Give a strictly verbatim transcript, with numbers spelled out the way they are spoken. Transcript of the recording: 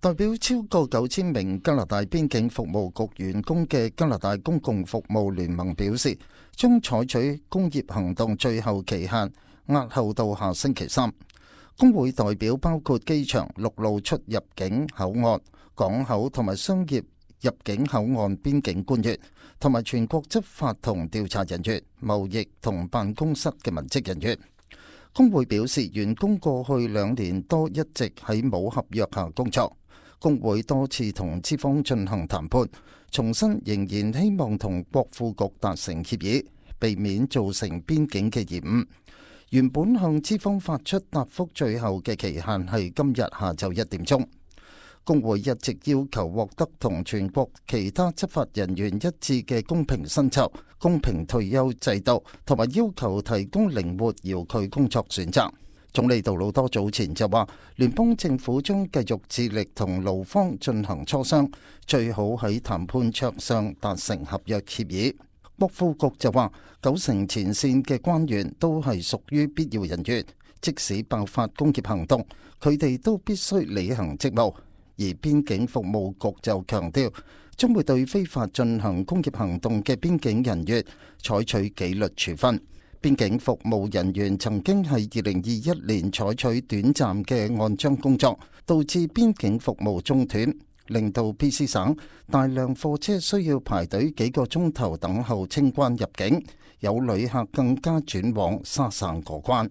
代表超過九千名加拿大邊境服務局員工嘅加拿大公共服務聯盟表示，將採取工業行動最後期限押後到下星期三。工會代表包括機場、陸路出入境口岸、港口同埋商業入境口岸邊境官員，同埋全國執法同調查人員、貿易同辦公室嘅文職人員。工會表示，員工過去兩年多一直喺冇合約下工作。工會多次同資方進行談判，重申仍然希望同國庫局達成協議，避免造成邊境嘅延誤。原本向資方發出答覆最後嘅期限係今日下晝一點鐘。工會一直要求獲得同全國其他執法人員一致嘅公平薪酬、公平退休制度，同埋要求提供靈活遙距工作選擇。總理杜魯多早前就話，聯邦政府將繼續致力同勞方進行磋商，最好喺談判桌上達成合約協議。國庫局就話，九成前線嘅官員都係屬於必要人員，即使爆發工業行動，佢哋都必須履行職務。而邊境服務局就強調，將會對非法進行工業行動嘅邊境人員採取紀律處分。邊境服務人員曾經喺二零二一年採取短暫嘅按章工作，導致邊境服務中斷，令到 B C 省大量貨車需要排隊幾個鐘頭等候清關入境，有旅客更加轉往沙省過關。